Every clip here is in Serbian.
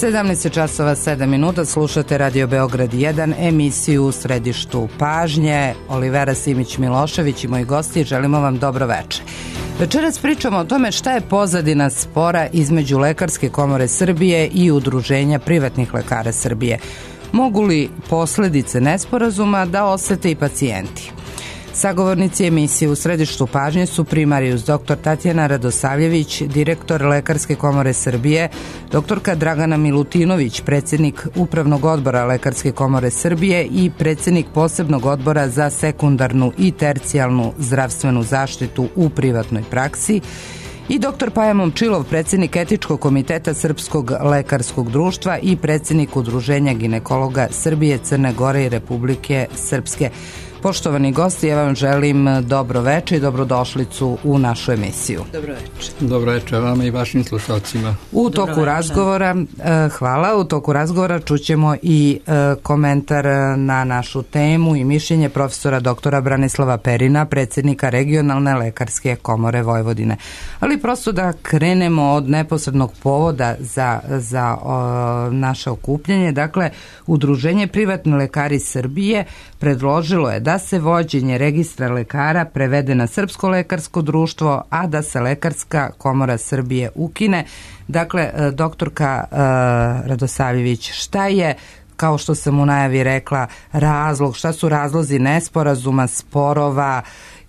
17 časova 7 minuta, slušate Radio Beograd 1, emisiju u središtu pažnje. Olivera Simić-Milošević i moji gosti, želimo vam dobro večer. Večeras pričamo o tome šta je pozadina spora između Lekarske komore Srbije i Udruženja privatnih lekara Srbije. Mogu li posledice nesporazuma da osete i pacijenti? Sagovornici emisije u središtu pažnje su primarijus dr. Tatjana Radosavljević, direktor Lekarske komore Srbije, doktorka Dragana Milutinović, predsjednik Upravnog odbora Lekarske komore Srbije i predsjednik Posebnog odbora za sekundarnu i tercijalnu zdravstvenu zaštitu u privatnoj praksi, i dr. Paja Momčilov, predsjednik Etičkog komiteta Srpskog lekarskog društva i predsjednik Udruženja ginekologa Srbije, Crne Gore i Republike Srpske. Poštovani gosti, ja vam želim dobro večer i dobrodošlicu u našu emisiju. Dobro večer. Dobro večer vama i vašim slušalcima. U toku razgovora, hvala, u toku razgovora čućemo i komentar na našu temu i mišljenje profesora doktora Branislava Perina, predsjednika Regionalne lekarske komore Vojvodine. Ali prosto da krenemo od neposrednog povoda za naše okupljanje. Dakle, Udruženje privatni lekari Srbije predložilo je da se vođenje registra lekara prevede na Srpsko lekarsko društvo, a da se Lekarska komora Srbije ukine. Dakle, doktorka Radosavljević, šta je, kao što sam u najavi rekla, razlog, šta su razlozi nesporazuma, sporova,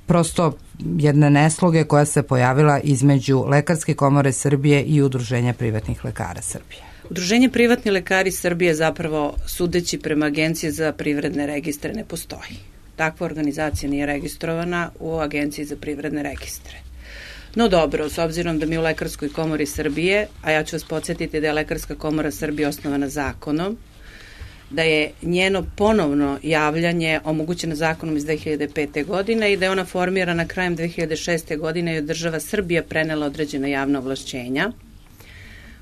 prosto jedne nesloge koja se pojavila između Lekarske komore Srbije i Udruženja privatnih lekara Srbije? Udruženje privatni lekari Srbije zapravo, sudeći prema Agenciji za privredne registre, ne postoji. Takva organizacija nije registrovana u Agenciji za privredne registre. No dobro, s obzirom da mi u Lekarskoj komori Srbije, a ja ću vas podsjetiti da je Lekarska komora Srbije osnovana zakonom, da je njeno ponovno javljanje omogućeno zakonom iz 2005. godine i da je ona formirana krajem 2006. godine i od država Srbija prenela određena javna ovlašćenja.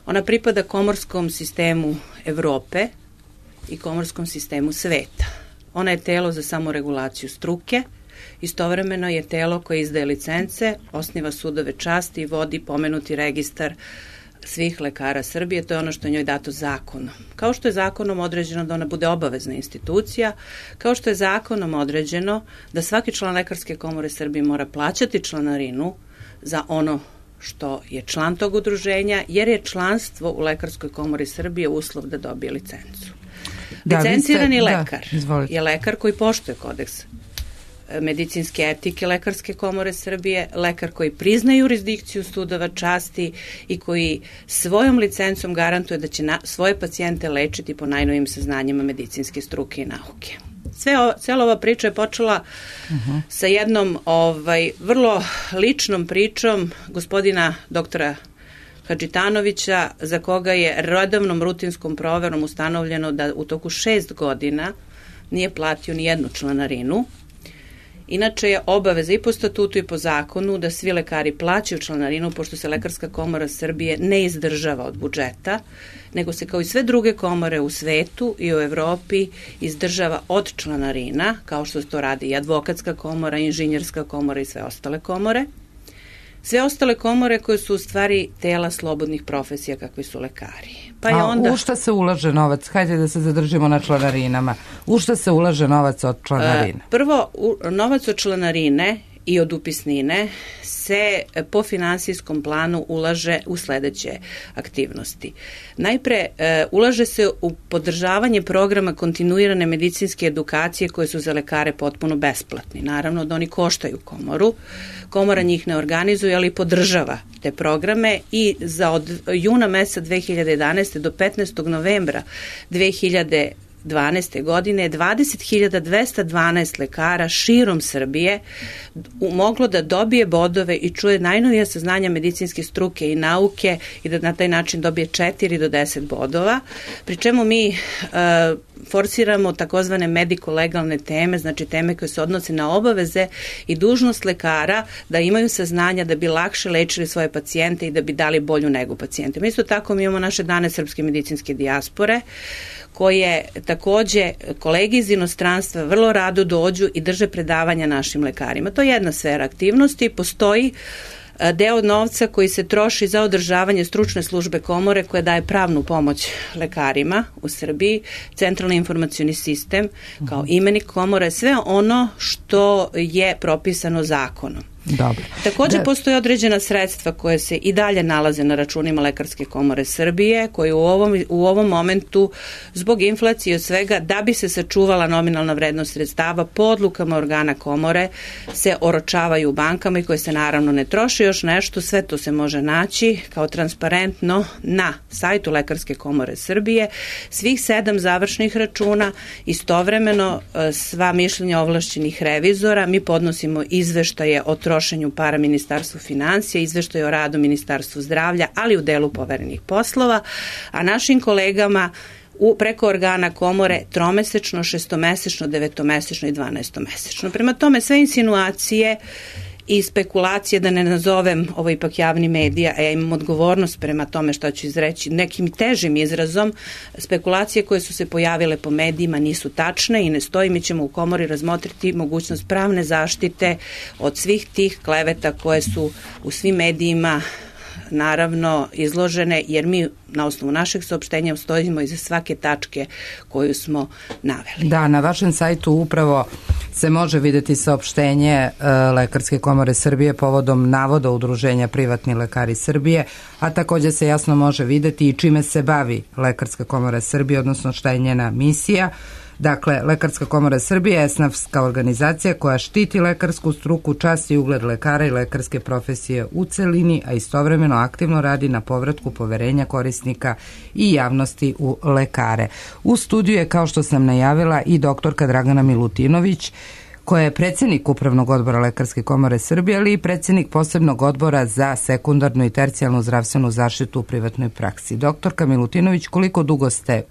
Ona pripada komorskom sistemu Evrope i komorskom sistemu sveta. Ona je telo za samoregulaciju struke, istovremeno je telo koje izdaje licence, osniva sudove časti i vodi pomenuti registar svih lekara Srbije. To je ono što je njoj dato zakonom. Kao što je zakonom određeno da ona bude obavezna institucija, kao što je zakonom određeno da svaki član Lekarske komore Srbije mora plaćati članarinu za ono što je član tog udruženja, jer je članstvo u Lekarskoj komori Srbije uslov da dobije licencu. Licencirani lekar je lekar koji poštuje kodeks medicinske etike Lekarske komore Srbije, lekar koji prizna jurisdikciju sudova časti i koji svojom licencom garantuje da će svoje pacijente lečiti po najnovijim saznanjima medicinske struke i nauke. Cijela ova priča je počela sa jednom vrlo ličnom pričom gospodina doktora Hadžitanovića, za koga je redovnom rutinskom proverom ustanovljeno da u toku 6 godina nije platio ni jednu članarinu. Inače je obaveza i po statutu i po zakonu da svi lekari plaćaju članarinu, pošto se Lekarska komora Srbije ne izdržava od budžeta, nego se kao i sve druge komore u svetu i u Evropi izdržava od članarina, kao što to radi i advokatska komora, inženjerska komora i sve ostale komore. Sve ostale komore koje su u stvari tela slobodnih profesija kakvi su lekari. Pa je onda... U šta se ulaže novac? Hajde da se zadržimo na članarinama. U šta se ulaže novac od članarine? Prvo, novac od članarine i od upisnine se po finansijskom planu ulaže u sledeće aktivnosti. Najpre, ulaže se u podržavanje programa kontinuirane medicinske edukacije koje su za lekare potpuno besplatni. Naravno da oni koštaju komoru. Komora njih ne organizuje, ali podržava te programe i od juna meseca 2011. do 15. novembra 2012. godine 20.212 lekara širom Srbije moglo da dobije bodove i čuje najnovija saznanja medicinske struke i nauke i da na taj način dobije 4 do 10 bodova, pri čemu mi forsiramo takozvane mediko-legalne teme, znači teme koje se odnose na obaveze i dužnost lekara da imaju saznanja da bi lakše lečili svoje pacijente i da bi dali bolju negu pacijentima. Isto tako mi imamo naše dane srpske medicinske dijaspore, koje takođe kolege iz inostranstva vrlo rado dođu i drže predavanja našim lekarima. To je jedna sfera aktivnosti. Postoji deo novca koji se troši za održavanje stručne službe komore koja daje pravnu pomoć lekarima u Srbiji, centralni informacioni sistem kao imenik komore, sve ono što je propisano zakonom. Dobro. Također postoje određena sredstva koje se i dalje nalaze na računima Lekarske komore Srbije, koje u ovom momentu zbog inflacije od svega, da bi se sačuvala nominalna vrednost sredstava, po odlukama organa komore se oročavaju u bankama i koje se naravno ne troše. Još nešto, sve to se može naći kao transparentno na sajtu Lekarske komore Srbije, svih 7 završnih računa, istovremeno sva mišljenja ovlašćenih revizora, mi podnosimo izveštaje o trošenju para Ministarstvu finansija, izveštaje o radu Ministarstvu zdravlja, ali u delu poverenih poslova, a našim kolegama preko organa komore tromesečno, šestomesečno, devetomesečno i 12-mesečno. Prema tome, sve insinuacije i spekulacije, da ne nazovem ovo ipak javni medija, a ja imam odgovornost prema tome što ću izreći nekim težim izrazom, spekulacije koje su se pojavile po medijima nisu tačne i ne stoji. Mi ćemo u komori razmotriti mogućnost pravne zaštite od svih tih kleveta koje su u svim medijima naravno izložene, jer mi na osnovu našeg saopštenja stojimo iza svake tačke koju smo naveli. Da, na vašem sajtu upravo se može vidjeti saopštenje Lekarske komore Srbije povodom navoda Udruženja Privatni lekari Srbije, a također se jasno može vidjeti i čime se bavi Lekarska komora Srbije, odnosno šta je njena misija. Dakle, Lekarska komora Srbije je esnafska organizacija koja štiti lekarsku struku, čast i ugled lekara i lekarske profesije u celini, a istovremeno aktivno radi na povratku poverenja korisnika i javnosti u lekare. U studiju je, kao što sam najavila, i doktorka Dragana Milutinović, koja je predsjednik Upravnog odbora Lekarske komore Srbije, ali i predsjednik posebnog odbora za sekundarnu i tercijalnu zdravstvenu zaštitu u privatnoj praksi. Doktorka Milutinović, koliko dugo ste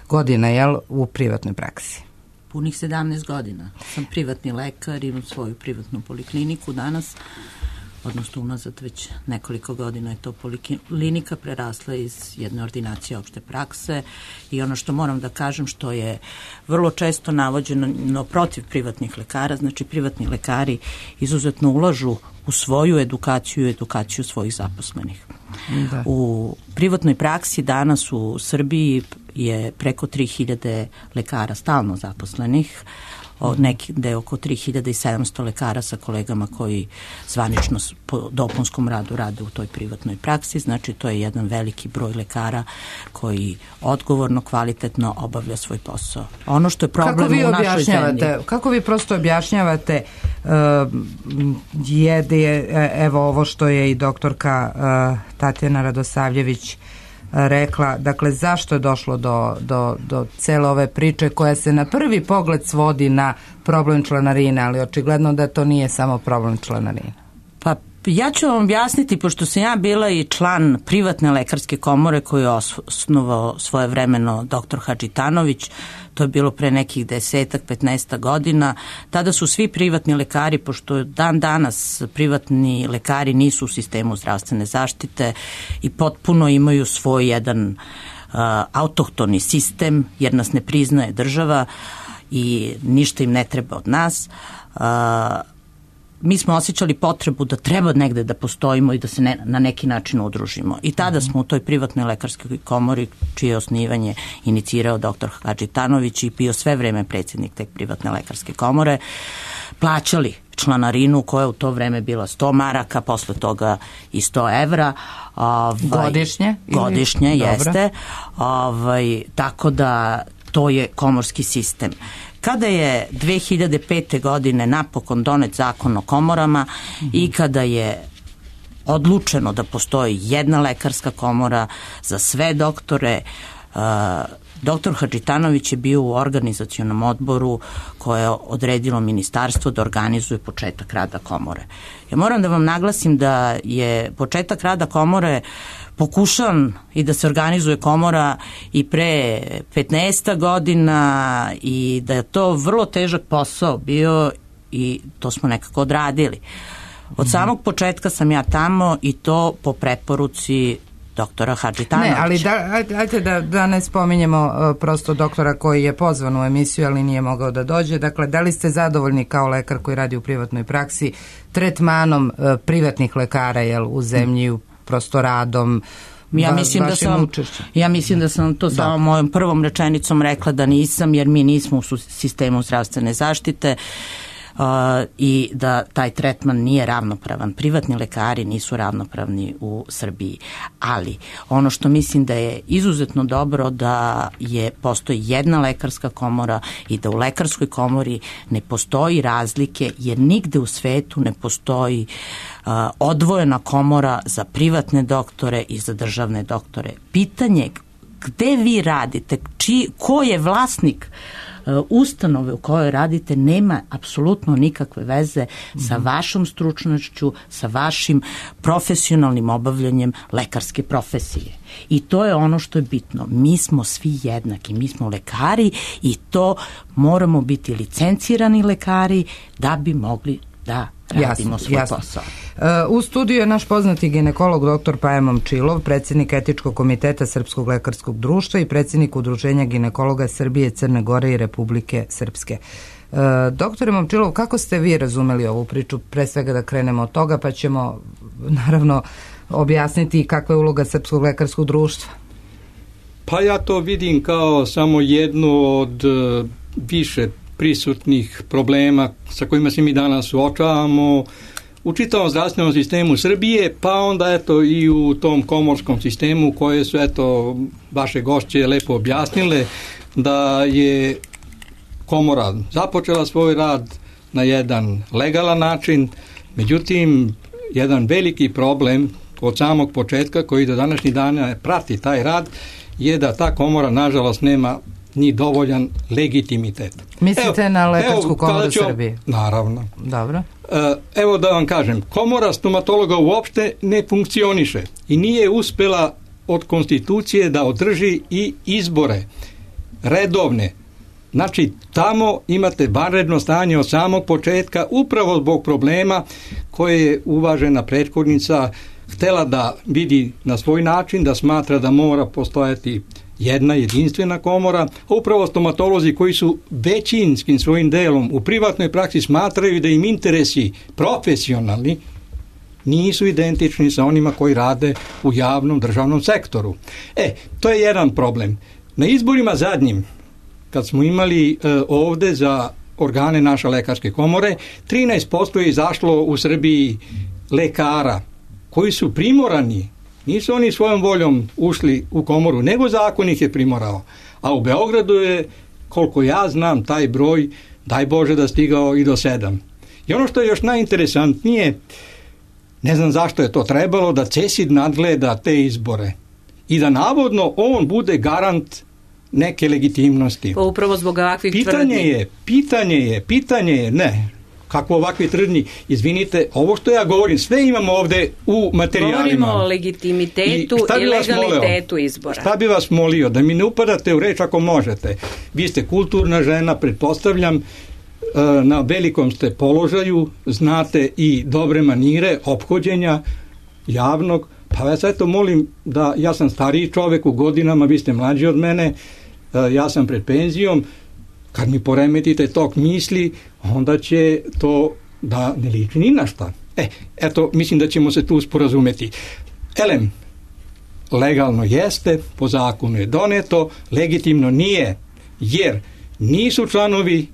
godina u privatnoj praksi? Punih 17 godina. Sam privatni lekar, imam svoju privatnu polikliniku danas, odnosno unazad već nekoliko godina je to poliklinika prerasla iz jedne ordinacije opšte prakse i ono što moram da kažem, što je vrlo često navođeno protiv privatnih lekara, znači privatni lekari izuzetno ulažu u svoju edukaciju i edukaciju svojih zaposlenih. Da. U privatnoj praksi danas u Srbiji je preko 3000 lekara stalno zaposlenih, gde je oko 3700 lekara sa kolegama koji zvanično po dopunskom radu rade u toj privatnoj praksi, znači to je jedan veliki broj lekara koji odgovorno, kvalitetno obavlja svoj posao. Ono što je problem u našoj zemlji. Kako vi prosto objašnjavate evo ovo što je i doktorka Tatjana Radosavljević rekla, dakle zašto je došlo do cele ove priče koja se na prvi pogled svodi na problem članarine, ali očigledno da to nije samo problem članarine. Pa ja ću vam objasniti, pošto sam ja bila i član privatne lekarske komore koju je osnovao svojevremeno dr. Hadžitanović, to je bilo pre nekih 10-15 godina. Tada su svi privatni lekari, pošto dan danas privatni lekari nisu u sistemu zdravstvene zaštite i potpuno imaju svoj jedan autohtoni sistem, jer nas ne priznaje država i ništa im ne treba od nas. Mi smo osjećali potrebu da treba negde da postojimo i da se na neki način udružimo. I tada smo u toj privatnoj lekarskoj komori, čije osnivanje inicirao dr. Hadžitanović i bio sve vreme predsjednik te privatne lekarske komore, plaćali članarinu koja je u to vreme bila 100 maraka, posle toga i 100 evra. Godišnje? Godišnje, jeste. Tako da to je komorski sistem. Kada je 2005. godine napokon donet zakon o komorama i kada je odlučeno da postoji jedna lekarska komora za sve doktore, dr. Hadžitanović je bio u organizacionom odboru koje je odredilo ministarstvo da organizuje početak rada komore. Ja moram da vam naglasim da je početak rada komore pokušan i da se organizuje komora i pre 15 godina i da je to vrlo težak posao bio i to smo nekako odradili. Od samog početka sam ja tamo i to po preporuci doktora Hadžitanovića. Ne, ali ajte da ne spominjemo prosto doktora koji je pozvan u emisiju, ali nije mogao da dođe. Dakle, da li ste zadovoljni kao lekar koji radi u privatnoj praksi tretmanom privatnih lekara u zemlji, prosto radom, Ja mislim da sam to samo mojom prvom rečenicom rekla da nisam, jer mi nismo u sistemu zdravstvene zaštite i da taj tretman nije ravnopravan. Privatni lekari nisu ravnopravni u Srbiji. Ali ono što mislim da je izuzetno dobro da postoji jedna lekarska komora i da u lekarskoj komori ne postoji razlike, jer nigde u svetu ne postoji odvojena komora za privatne doktore i za državne doktore. Pitanje gde vi radite, ko je vlasnik ustanove u kojoj radite nema apsolutno nikakve veze sa vašom stručnošću, sa vašim profesionalnim obavljanjem lekarske profesije. I to je ono što je bitno. Mi smo svi jednaki, mi smo lekari i to moramo biti licencirani lekari da bi mogli da radimo svoj posao. U studiju je naš poznati ginekolog dr. Paja Momčilov, predsjednik Etičkog komiteta Srpskog lekarskog društva i predsjednik Udruženja ginekologa Srbije, Crne Gore i Republike Srpske. Doktore Momčilov, kako ste vi razumeli ovu priču? Pre svega da krenemo od toga, pa ćemo naravno objasniti kakva je uloga Srpskog lekarskog društva. Pa ja to vidim kao samo jednu od više prisutnih problema sa kojima se mi danas suočavamo u čitavom zdravstvenom sistemu Srbije, pa onda eto i u tom komorskom sistemu koje su eto vaše gošće lepo objasnile da je komora započela svoj rad na jedan legalan način, međutim jedan veliki problem od samog početka koji do današnjih dana prati taj rad je da ta komora nažalost nema ni dovoljan legitimitet. Mislite na Lekarsku komoru Srbije? Naravno. Dobro. Evo da vam kažem, komora stomatologa uopšte ne funkcioniše i nije uspela od konstitucije da održi i izbore redovne. Znači, tamo imate vanredno stanje od samog početka upravo zbog problema koje je uvažena prethodnica htela da vidi na svoj način, da smatra da mora postojati jedna jedinstvena komora, a upravo stomatolozi koji su većinskim svojim delom u privatnoj praksi smatraju da im interesi profesionalni nisu identični sa onima koji rade u javnom državnom sektoru. To je jedan problem. Na izborima zadnjim, kad smo imali ovde za organe naše lekarske komore, 13% je izašlo u Srbiji lekara koji su primorani. Nisu oni svojom voljom ušli u komoru, nego zakon ih je primorao. A u Beogradu je, koliko ja znam, taj broj, daj Bože da stigao i do 7. I ono što je još najinteresantnije, ne znam zašto je to trebalo, da CESID nadgleda te izbore i da navodno on bude garant neke legitimnosti. Pa upravo zbog ovakvih tvrdnji. Pitanje je, ne. Kako ovakvi tvrdnji, izvinite, ovo što ja govorim, sve imamo ovde u materijalima. Govorimo o legitimitetu i legalitetu izbora. Šta bi vas molio? Da mi ne upadate u reč ako možete. Vi ste kulturna žena, pretpostavljam, na velikom ste položaju, znate i dobre manire ophođenja javnog, pa vas eto molim da, ja sam stariji čovek u godinama, vi ste mlađi od mene, ja sam pred penzijom, kad mi poremetite tok misli, onda će to da ne liči ni na šta. Eto, mislim da ćemo se tu sporazumeti. Legalno jeste, po zakonu je doneto, legitimno nije, jer nisu članovi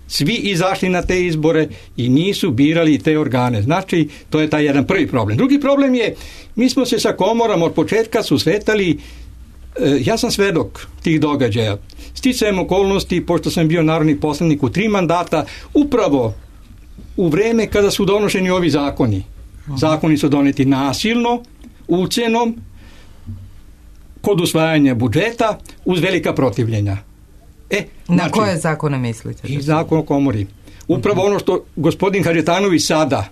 svi izašli na te izbore i nisu birali te organe. Znači, to je taj jedan prvi problem. Drugi problem je, mi smo se sa komorom od početka susretali, ja sam svedok tih događaja. Sticajem okolnosti, pošto sam bio narodni poslanik u 3 mandata, upravo u vreme kada su donošeni ovi zakoni. Zakoni su doneti nasilno, ucenom, kod usvajanja budžeta, uz velika protivljenja. Na koje zakone mislite? I zakon o komori. Upravo ono što gospodin Hadžitanović sada,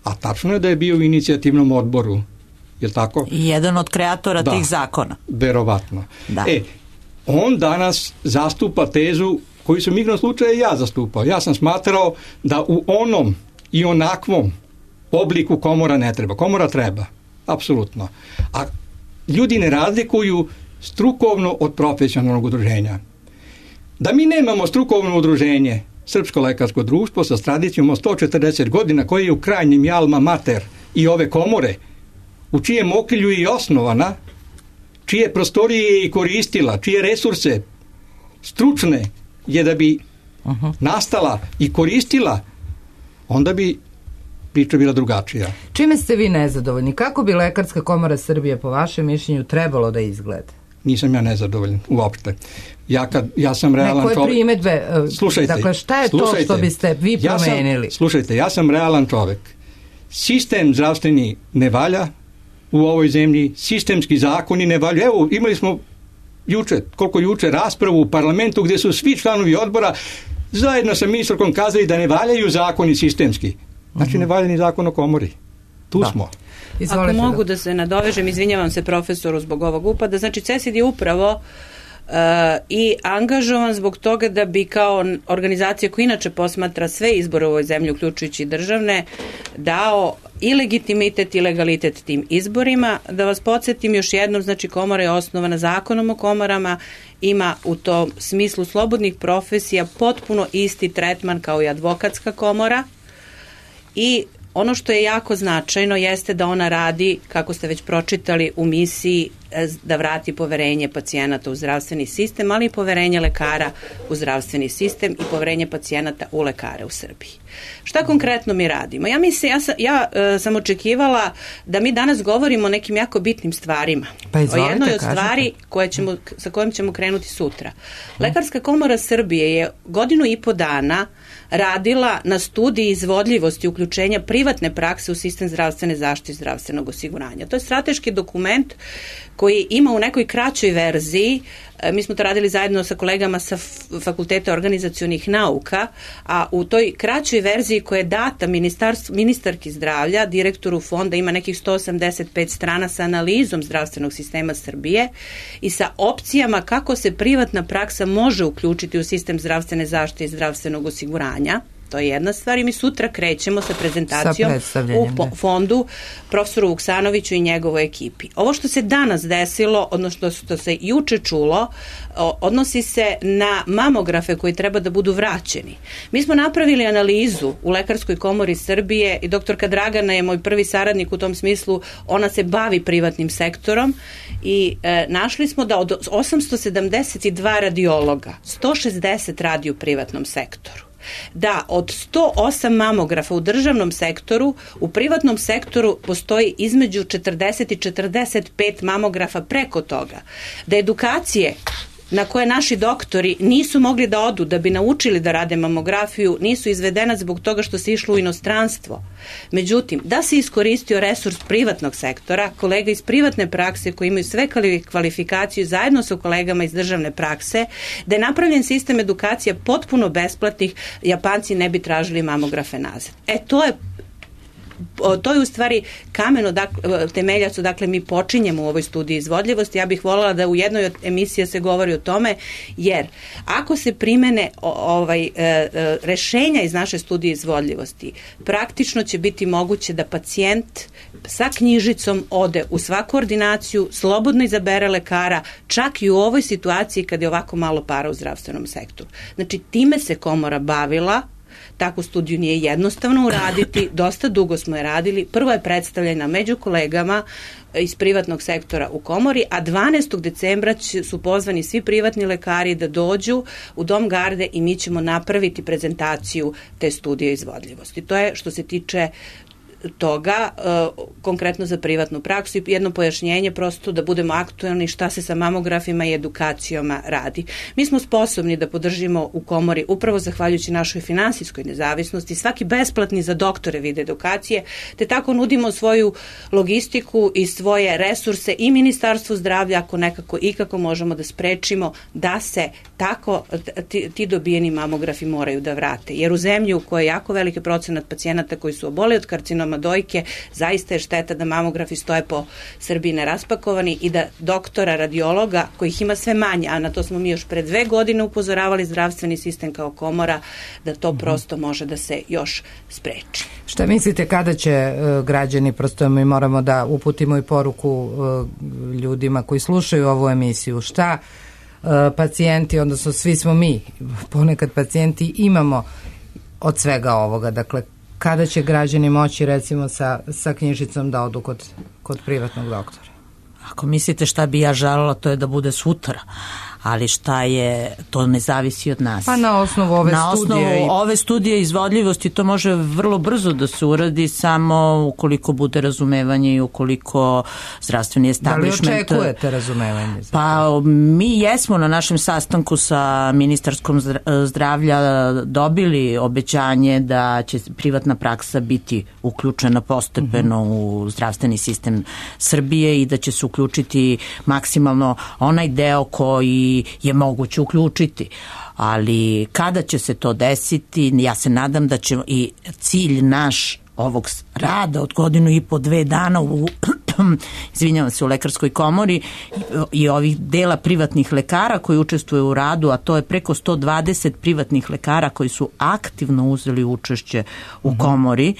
a tačno je da je bio u inicijativnom odboru, je li tako? I jedan od kreatora tih zakona. Verovatno. Da. On danas zastupa tezu koju sam igrom slučaja i ja zastupao. Ja sam smatrao da u onom i onakvom obliku komora ne treba. Komora treba, apsolutno. A ljudi ne razlikuju strukovno od profesionalnog udruženja. Da mi nemamo strukovno udruženje, Srpsko lekarsko društvo sa tradicijom od 140 godina, koje je u krajnjem alma mater i ove komore, u čijem okrilju je i osnovana, čije prostorije je i koristila, čije resurse stručne je da bi nastala i koristila, onda bi priča bila drugačija. Čime ste vi nezadovoljni? Kako bi Lekarska komora Srbije po vašem mišljenju trebalo da izgleda? Nisam ja nezadovoljan uopšte. Ja sam realan čovjek. Koje primedbe? Slušajte. Dakle, šta je to što biste vi promenili? Slušajte, ja sam realan čovjek. Sistem zdravstveni ne valja u ovoj zemlji, sistemski zakoni ne valja. Evo, imali smo juče raspravu u parlamentu gdje su svi članovi odbora zajedno sa ministarkom kazali da ne valjaju zakoni sistemski. Znači ne valja ni zakon o komori. Tu smo. Izvolite. Ako mogu da se nadovežem, izvinjavam se profesoru zbog ovog upada, znači CESID je upravo i angažovan zbog toga da bi kao organizacija koja inače posmatra sve izbore u ovoj zemlji, uključujući državne, dao i legitimitet i legalitet tim izborima. Da vas podsjetim još jednom, znači komora je osnovana zakonom o komorama, ima u tom smislu slobodnih profesija potpuno isti tretman kao i advokatska komora i ono što je jako značajno jeste da ona radi, kako ste već pročitali, u misiji da vrati poverenje pacijenata u zdravstveni sistem, ali i poverenje lekara u zdravstveni sistem i poverenje pacijenata u lekare u Srbiji. Šta konkretno mi radimo? Ja sam očekivala da mi danas govorimo o nekim jako bitnim stvarima. O jednoj od stvari sa kojom ćemo krenuti sutra. Lekarska komora Srbije je 1,5 dana radila na studiji izvodljivosti uključenja privatne prakse u sistem zdravstvene zaštite i zdravstvenog osiguranja. To je strateški dokument koji ima u nekoj kraćoj verziji, mi smo to radili zajedno sa kolegama sa Fakulteta organizacionih nauka, a u toj kraćoj verziji koja je data ministarki zdravlja, direktoru fonda, ima nekih 185 strana sa analizom zdravstvenog sistema Srbije i sa opcijama kako se privatna praksa može uključiti u sistem zdravstvene zaštite i zdravstvenog osiguranja. To je jedna stvar i mi sutra krećemo sa prezentacijom u fondu profesoru Vuksanoviću i njegovoj ekipi. Ovo što se danas desilo, odnosno što se juče čulo, odnosi se na mamografe koji treba da budu vraćeni. Mi smo napravili analizu u Lekarskoj komori Srbije i doktorka Dragana je moj prvi saradnik u tom smislu, ona se bavi privatnim sektorom i našli smo da od 872 radiologa 160 radi u privatnom sektoru. Da od 108 mamografa u državnom sektoru, u privatnom sektoru postoji između 40 i 45 mamografa preko toga. Da edukacije na koje naši doktori nisu mogli da odu da bi naučili da rade mamografiju, nisu izvedena zbog toga što se išlo u inostranstvo. Međutim, da se iskoristio resurs privatnog sektora, kolega iz privatne prakse koji imaju sve kvalifikaciju zajedno sa kolegama iz državne prakse, da je napravljen sistem edukacija potpuno besplatnih, Japanci ne bi tražili mamografe nazad. To je u stvari kamen temeljac, dakle mi počinjemo u ovoj studiji izvodljivosti. Ja bih voljela da u jednoj od emisija se govori o tome, jer ako se primene rešenja iz naše studije izvodljivosti, praktično će biti moguće da pacijent sa knjižicom ode u svaku ordinaciju, slobodno izabere lekara, čak i u ovoj situaciji kad je ovako malo para u zdravstvenom sektoru. Znači, time se komora bavila. Takvu studiju nije jednostavno uraditi, dosta dugo smo je radili. Prvo je predstavljena među kolegama iz privatnog sektora u komori, a 12. decembra su pozvani svi privatni lekari da dođu u Dom garde i mi ćemo napraviti prezentaciju te studije izvodljivosti. To je što se tiče toga, konkretno za privatnu praksu i jedno pojašnjenje prosto da budemo aktuelni šta se sa mamografima i edukacijama radi. Mi smo sposobni da podržimo u komori upravo zahvaljujući našoj finansijskoj nezavisnosti svaki besplatni za doktore vid edukacije, te tako nudimo svoju logistiku i svoje resurse i Ministarstvu zdravlja ako nekako ikako možemo da sprečimo da se tako ti dobijeni mamografi moraju da vrate. Jer u zemlji u kojoj je jako veliki procenat pacijenata koji su oboli od karcinoma kontrolama dojke, zaista je šteta da mamografi stoje po Srbiji neraspakovani i da doktora radiologa, kojih ima sve manje, a na to smo mi još pre 2 godine upozoravali zdravstveni sistem kao komora, da to prosto može da se još spreči. Šta mislite kada će građani, prosto mi moramo da uputimo i poruku ljudima koji slušaju ovu emisiju, šta pacijenti, odnosno svi smo mi, ponekad pacijenti, imamo od svega ovoga, dakle, kada će građani moći recimo sa knjižicom da odu kod privatnog doktora? Ako mislite šta bi ja želela, to je da bude sutra, ali šta je, to ne zavisi od nas. Pa na osnovu ove studije izvodljivosti to može vrlo brzo da se uradi, samo ukoliko bude razumevanje i ukoliko zdravstveni establishment... Da li očekujete razumevanje? Pa mi jesmo na našem sastanku sa ministarskom zdravlja dobili obećanje da će privatna praksa biti uključena postepeno u zdravstveni sistem Srbije i da će se uključiti maksimalno onaj deo koji je moguće uključiti. Ali kada će se to desiti, ja se nadam da će i cilj naš ovog rada od 1.5-2 dana izvinjavam se, u Lekarskoj komori i ovih dela privatnih lekara koji učestvuju u radu, a to je preko 120 privatnih lekara koji su aktivno uzeli učešće u komori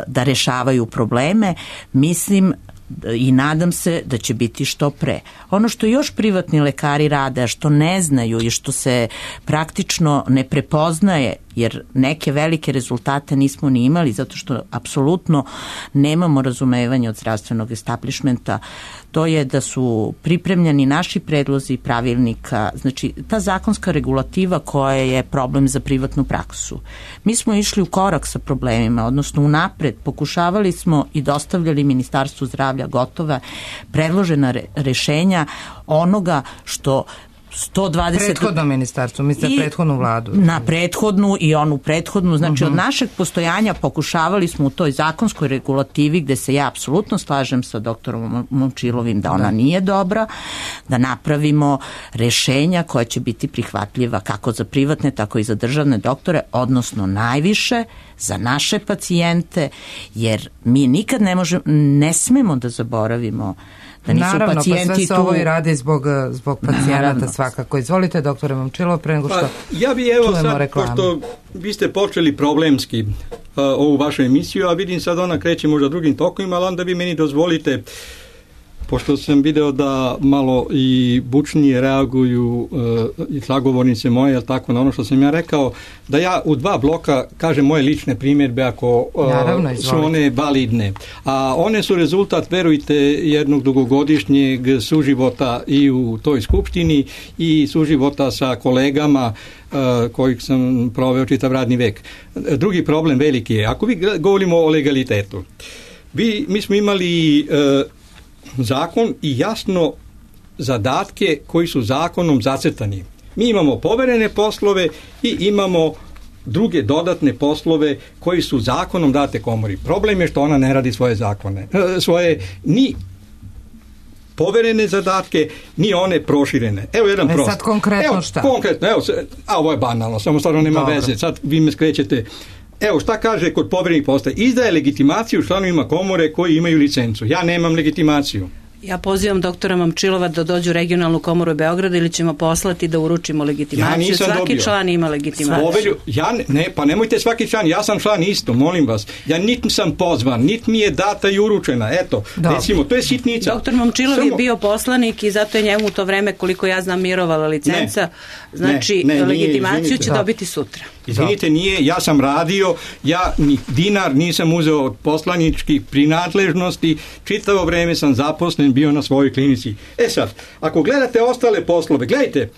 da rešavaju probleme, mislim i nadam se da će biti što pre. Ono što još privatni lekari rade, a što ne znaju i što se praktično ne prepoznaje, jer neke velike rezultate nismo ni imali zato što apsolutno nemamo razumevanje od zdravstvenog establishmenta, to je da su pripremljeni naši predlozi pravilnika, znači ta zakonska regulativa koja je problem za privatnu praksu. Mi smo išli u korak sa problemima, odnosno unapred pokušavali smo i dostavljali Ministarstvu zdravlja gotova predložena rešenja onoga što 120... Prethodno ministarstvo, mislite prethodnu vladu. Na prethodnu i onu prethodnu, znači od našeg postojanja pokušavali smo u toj zakonskoj regulativi, gde se ja apsolutno slažem sa doktorom Momčilovim da ona nije dobra, da napravimo rešenja koja će biti prihvatljiva kako za privatne, tako i za državne doktore, odnosno najviše za naše pacijente, jer mi nikad ne smemo da zaboravimo da nisu naravno, pacijenti pa sve se ovo i radi zbog pacijenata svakako. Izvolite, doktore Momčilov, pre nego što ja bi sad, pošto vi ste počeli problemski ovu vašu emisiju, a vidim sad ona kreće možda drugim tokovima, ali onda vi meni dozvolite, pošto sam video da malo i bučnije reaguju i sagovornice moje, jel tako, na ono što sam ja rekao, da ja u 2 bloka kažem moje lične primjedbe ako su one validne. A one su rezultat, verujte, jednog dugogodišnjeg suživota i u toj skupštini i suživota sa kolegama kojih sam proveo čitav radni vek. Drugi problem veliki je, ako vi govorimo o legalitetu, mi smo imali zakon i jasno zadatke koji su zakonom zacrtani. Mi imamo poverene poslove i imamo druge dodatne poslove koji su zakonom date komori. Problem je što ona ne radi svoje zakone, svoje ni poverene zadatke, ni one proširene. Evo jedan prost. Sad konkretno šta? Konkretno, ovo je banalno, samo stvarno nema veze. Sad vi me skrećete. Evo šta kaže kod poverenih poslova. Izdaje legitimaciju članovima komore koji imaju licencu. Ja nemam legitimaciju. Ja pozivam doktora Momčilova da dođu u regionalnu komoru Beograda ili ćemo poslati da uručimo legitimaciju. Svaki član ima legitimaciju. Pa nemojte svaki član, ja sam član isto, molim vas. Ja niti sam pozvan, niti mi je data i uručena. Eto, recimo, to je sitnica. Doktor Momčilov je bio poslanik i zato je njemu u to vreme, koliko ja znam, mirovala licenca. Znači, legitimaciju će dobiti sutra. Izvinite, nije, ja sam radio, ja ni dinar nisam uzeo od poslaničkih prinadležnosti, čitavo vreme sam zaposlen bio na svojoj klinici. Sad, ako gledate ostale poslove, gledajte,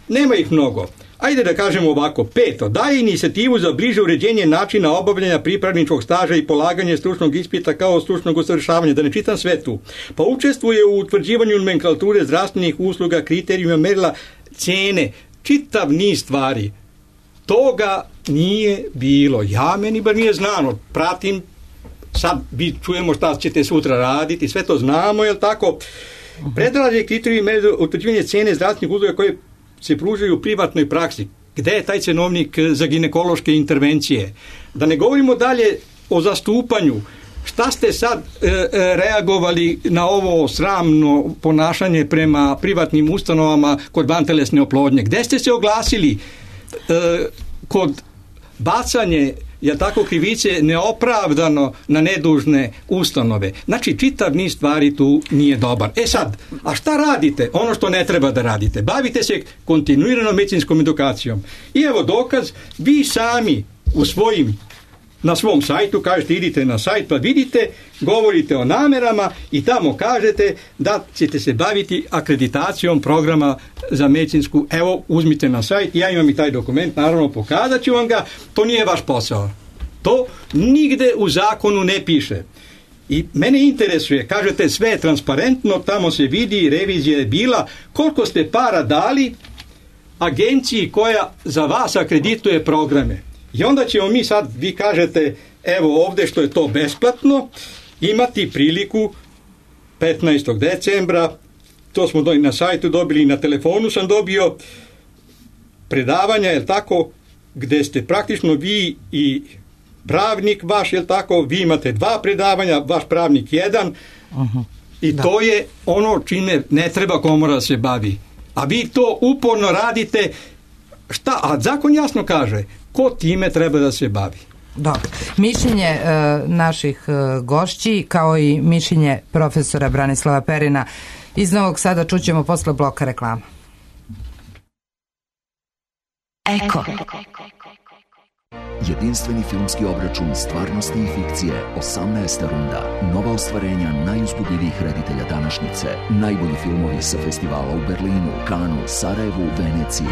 nema ih mnogo. Ajde da kažemo ovako, 5. Daje inicijativu za bliže uređenje načina obavljanja pripravničkog staža i polaganje stručnog ispita kao stručnog usavršavanja, da ne čitam sve tu. Pa učestvuje u utvrđivanju nomenklature zdravstvenih usluga, kriterijuma, merila, cene, čitav niz stvari. Toga nije bilo. Meni bar nije znano. Pratim, sad čujemo šta ćete sutra raditi, sve to znamo, jel tako? Predlaže kriterijum utvrđivanje cene zdravstvenih usluga koje se pružaju u privatnoj praksi. Gde je taj cenovnik za ginekološke intervencije? Da ne govorimo dalje, o zastupanju. Šta ste sad reagovali na ovo sramno ponašanje prema privatnim ustanovama kod vantelesne oplodnje? Gde ste se oglasili kod bacanje krivice neopravdano na nedužne ustanove? Znači, čitav niz stvari tu nije dobar. Sad, a šta radite? Ono što ne treba da radite. Bavite se kontinuiranom medicinskom edukacijom. I evo dokaz, vi sami na svom sajtu, kažete, idite na sajt pa vidite, govorite o namerama i tamo kažete da ćete se baviti akreditacijom programa za medicinsku. Evo, uzmite na sajt, ja imam i taj dokument, naravno pokazat ću vam ga, to nije vaš posao. To nigde u zakonu ne piše. I mene interesuje, kažete, sve je transparentno, tamo se vidi, revizija je bila, koliko ste para dali agenciji koja za vas akredituje programe. I onda ćemo mi sad, vi kažete, evo ovde što je to besplatno, imati priliku 15. decembra, to smo na sajtu dobili, na telefonu sam dobio predavanja, jel tako, gde ste praktično vi i pravnik vaš, jel tako, vi imate 2 predavanja, vaš pravnik 1, i to je ono čime ne treba komora da se bavi. A vi to uporno radite, šta? A zakon jasno kaže, ko time treba da se bavi. Dobro. Mišljenje naših gošći, kao i mišljenje profesora Branislava Perina iz Novog Sada čućemo posle bloka reklama. Eko. Jedinstveni filmski obračun stvarnosti i fikcije, 18. runda. Nova ostvarenja najuzbudljivijih reditelja današnjice. Najbolji filmovi sa festivala u Berlinu, Kanu, Sarajevu, Veneciji.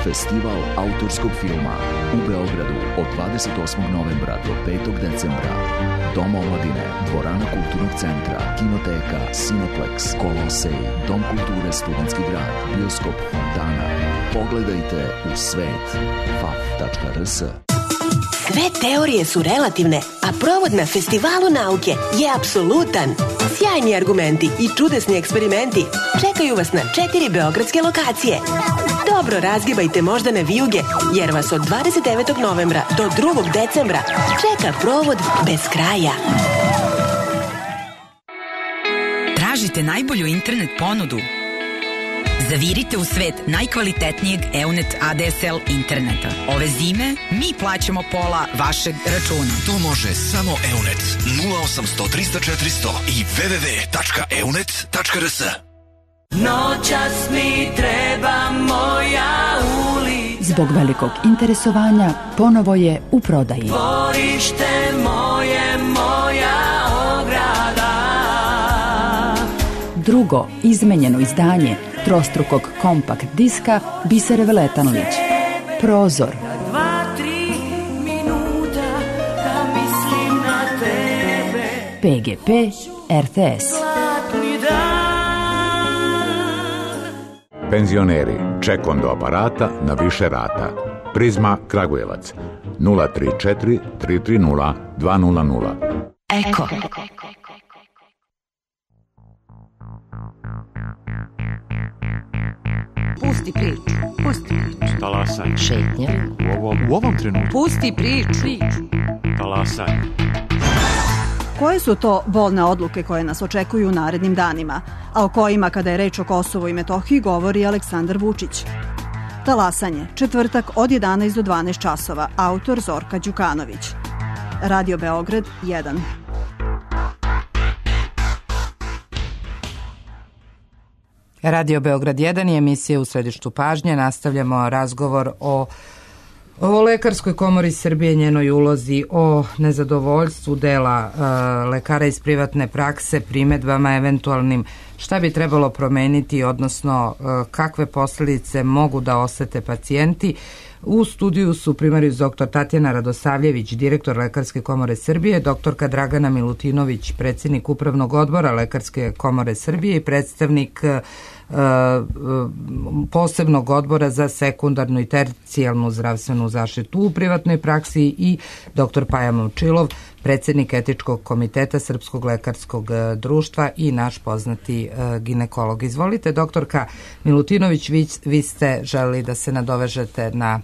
Festival autorskog filma u Beogradu od 28. novembra do 5. decembra. Dom omladine, dvorana kulturnog centra, kinoteka, Cineplex, Kolosej, Dom kulture Studentski grad, bioskop Fontana. Pogledajte u svet. faf.rs. Sve teorije su relativne, a provod na Festivalu nauke je apsolutan. Sjajni argumenti i čudesni eksperimenti čekaju vas na 4 beogradske lokacije. Dobro razgibajte moždane vijuge, jer vas od 29. novembra do 2. decembra čeka provod bez kraja. Tražite najbolju internet ponudu? Zavirite u svet najkvalitetnijeg EUNET ADSL interneta. Ove zime mi plaćamo pola vašeg računa. To može samo EUNET 0800 300 400 i www.eunet.rs. Noćas mi treba moja ulica. Zbog velikog interesovanja ponovo je u prodaji. Dvorište moje, moja ograda. Drugo izmenjeno izdanje trostrukog kompakt diska Bisere Veletanović. Prozor. 2-3 minuta da mislim na tebe. PGP RTS. Penzioneri, ček do aparata na više rata. Prizma Kragujevac 034 330 200. Eko. Pusti priču. Pusti priču. Talasaj. Šetnja. U ovom trenutku. Pusti priču. Talasaj. Koje su to bolne odluke koje nas očekuju u narednim danima, a o kojima, kada je reč o Kosovu i Metohiji, govori Aleksandar Vučić? Talasanje, četvrtak od 11 do 12 časova, autor Zorka Đukanović. Radio Beograd 1. Radio Beograd 1 je emisija u središtu pažnje. Nastavljamo razgovor o Lekarskoj komori Srbije, njenoj ulozi, o nezadovoljstvu dela lekara iz privatne prakse, primedbama eventualnim šta bi trebalo promeniti, odnosno kakve posledice mogu da osete pacijenti. U studiju su primarijus dr. Tatjana Radosavljević, direktor Lekarske komore Srbije, doktorka Dragana Milutinović, predsjednik Upravnog odbora Lekarske komore Srbije i predstavnik posebnog odbora za sekundarnu i tercijalnu zdravstvenu zaštitu u privatnoj praksi i dr. Paja Momčilov, predsjednik etičkog komiteta Srpskog lekarskog društva i naš poznati ginekolog. Izvolite, doktorka Milutinović, vi ste želeli da se nadovežete na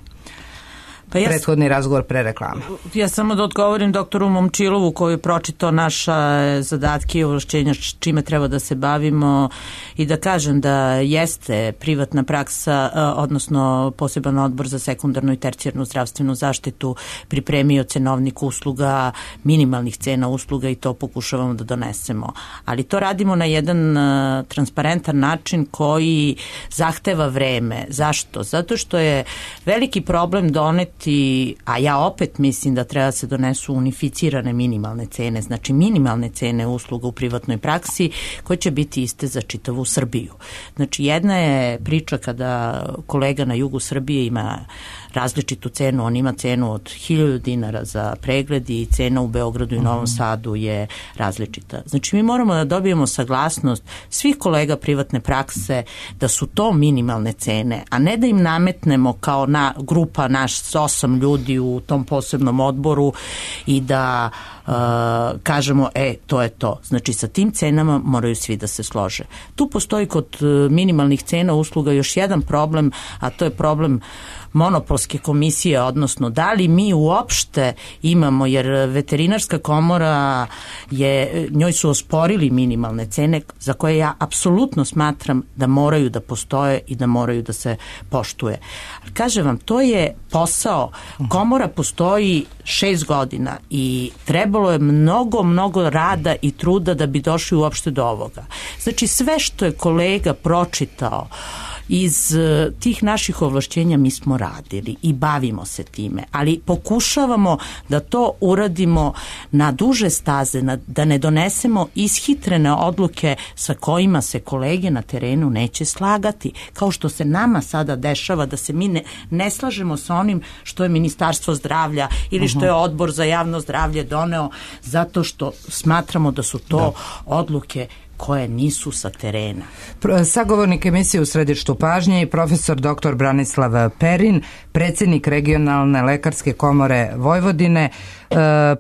prethodni razgovor pre reklame. Ja samo da odgovorim doktoru Momčilovu koji je pročitao naša zadatke i ovlašćenja čime treba da se bavimo i da kažem da jeste privatna praksa, odnosno poseban odbor za sekundarnu i tercijarnu zdravstvenu zaštitu pripremio cenovnik usluga, minimalnih cena usluga i to pokušavamo da donesemo. Ali to radimo na jedan transparentan način koji zahteva vreme. Zašto? Zato što je veliki problem doneti, a ja opet mislim da treba se donesu unificirane minimalne cene, znači minimalne cene usluga u privatnoj praksi koje će biti iste za čitavu Srbiju. Znači jedna je priča kada kolega na jugu Srbije ima različitu cenu, on ima cenu od 1000 dinara za pregled i cena u Beogradu i Novom Sadu je različita. Znači mi moramo da dobijemo saglasnost svih kolega privatne prakse da su to minimalne cene, a ne da im nametnemo kao grupa naš 8 ljudi u tom posebnom odboru i da kažemo to je to. Znači sa tim cenama moraju svi da se slože. Tu postoji kod minimalnih cena usluga još jedan problem, a to je problem monopolske komisije, odnosno da li mi uopšte imamo, jer veterinarska komora njoj su osporili minimalne cene za koje ja apsolutno smatram da moraju da postoje i da moraju da se poštuje. Kažem vam, to je posao. Komora postoji 6 godina i trebalo je mnogo rada i truda da bi došli uopšte do ovoga. Znači sve što je kolega pročitao iz tih naših ovlašćenja mi smo radili i bavimo se time, ali pokušavamo da to uradimo na duže staze, da ne donesemo ishitrene odluke sa kojima se kolege na terenu neće slagati, kao što se nama sada dešava da se mi ne slažemo sa onim što je Ministarstvo zdravlja ili što je Odbor za javno zdravlje doneo, zato što smatramo da su to odluke koje nisu sa terena. Sagovornik emisije U središtu pažnje i profesor dr. Branislav Perin, predsjednik Regionalne lekarske komore Vojvodine.